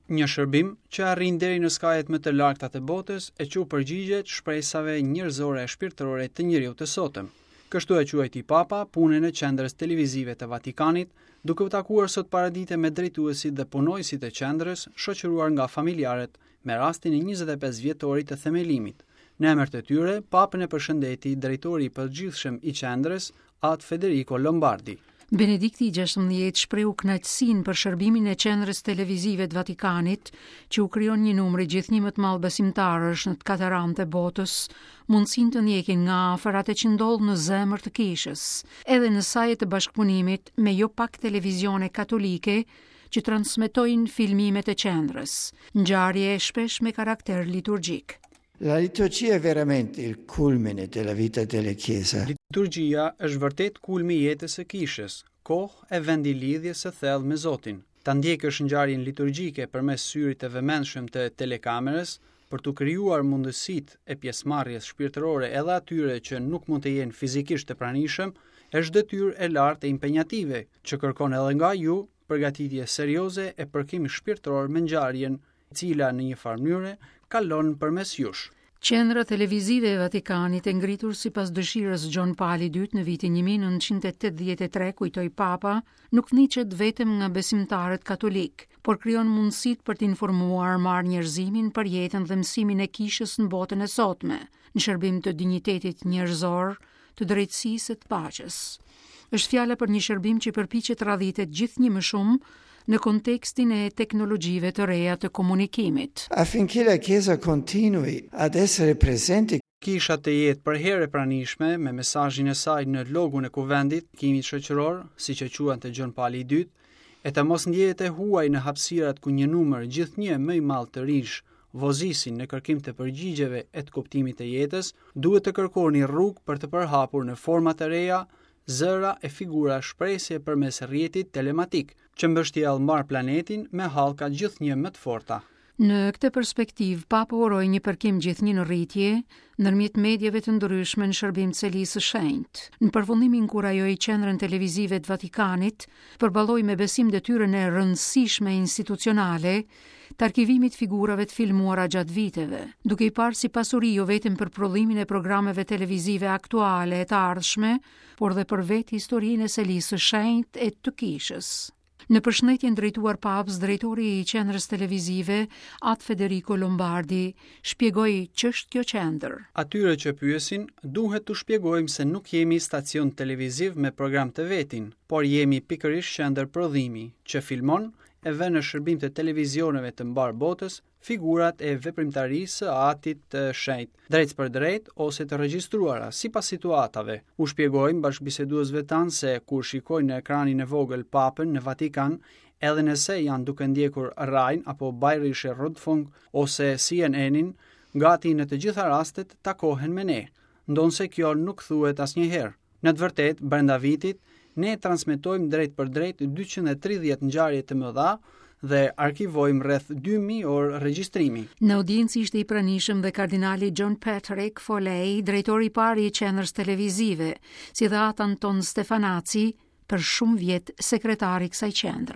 Një shërbim që arrin deri në skajet më të largëta të botës e që u përgjigjet shpresave njerëzore e shpirtërore të njeriut të sotëm. Kështu e quajti Papa punën e qendrës televizive të Vatikanit, duke u takuar sot paradite me drejtuesit dhe punonjësit e qendrës, shoqëruar nga familjarët me rastin e 25 vjetorit të themelimit. Në emër të tyre, Papën e përshëndeti drejtori i përgjithshëm i qendrës, At Federico Lombardi. Benedikti i 16 shprehu kënaqësinë për shërbimin e qendrës televizive të Vatikanit, që u krijon një numri gjithnjë më të madh besimtarësh në të katër anët e botës, mundësinë të ndjekin nga afër atë që ndodh në zemër të kishës, edhe në saje të bashkëpunimit me jo pak televizione katolike që transmetojnë filmimet e qendrës, ngjarje shpesh me karakter liturgjik. La liturgia è veramente il culmine della vita della Chiesa. Liturgjia është vërtet kulmi i jetës së kishës, kohë e vend i lidhjes së thellë me Zotin. Ta ndjekësh ngjarjen liturgjike përmes syrit të vëmendshëm të telekamerës, për t'u krijuar mundësitë e pjesëmarrjes shpirtërore edhe atyre që nuk mund të jenë fizikisht të pranishëm, është detyrë e lartë e impenjative, që kërkon edhe nga ju përgatitje serioze e përkim shpirtëror me ngjarjen e cila në një farë mënyre kalon përmes jush. Qendra televizive e Vatikanit e ngritur sipas dëshirës Gjon Pali II në vitin 1983, kujtoi Papa, nuk ndiqet vetëm nga besimtarët katolikë, por krijon mundësitë për të informuar mbarë njerëzimin për jetën dhe mësimin e kishës në botën e sotme, në shërbim të dinjitetit njerëzor, të drejtësisë e të paqes. Është fjala për një shërbim që përpiqet të radhitet gjithnjë më shumë në kontekstin e teknologjive të reja të komunikimit. Affinché la Chiesa continui ad essere presente Kisha të jetë përherë e pranishme me mesazhin e saj në logun e kuvendit, kimit shoqëror, siç e quante Gjon Pali i II, e të mos ndjehet e huaj në hapësirat ku një numër gjithnjë më i madh të rinjsh vozisin në kërkim të përgjigjeve e të kuptimit të jetës, duhet të kërkoni rrugë për të përhapur në forma të reja zëra e figura shprese përmes rrjetit telematik, që mbështjell mbarë planetin me hallka gjithnjë më të forta. Në këtë perspektivë, Papa uroi një përkim gjithnjë në rritje ndërmjet mediave të ndryshme në shërbim të Selisë së Shenjtë. Në përfundim inkurajoi Qendrën Televizive të Vatikanit të përballojë me besim detyrën e rëndësishme institucionale të arkivimit të figurave të filmuara gjatë viteve, duke i parë si pasuri jo vetëm për prodhimin e programeve televizive aktuale e të ardhshme, por dhe për vetë historinë e Selisë së Shenjtë e të Kishës. Në përshëndetjen drejtuar Papës, drejtori i qendrës televizive, At Federico Lombardi, shpjegoi ç'është kjo qendër. Atyre që pyesin, duhet t'u shpjegojmë se nuk jemi stacion televiziv me program të vetin, por jemi pikërisht qendër prodhimi, që filmon e vë në shërbim të televizioneve të mbarë botës figurat e veprimtarisë së Atit të Shenjtë, drejtpërdrejt ose të regjistruara, sipas situatave. U shpjegojmë bashkëbiseduesve tanë se kur shikojnë në ekranin e vogël Papën në Vatikan, edhe nëse janë duke ndjekur Rai-n apo Bayerische Rundfunk ose CNN-in, gati në të gjitha rastet takohen me ne, ndonëse kjo nuk thuhet asnjëherë. Në të vërtetë, brenda vitit, ne transmetojmë drejtpërdrejt 230 ngjarje të mëdha dhe arkivojmë rreth 2000 orë regjistrimi. Në audiencë ishte i pranishëm dhe kardinali John Patrick Foley, drejtori i parë i qendrës televizive, si dhe At Anton Stefanacci, për shumë vjet sekretar i kësaj qendre.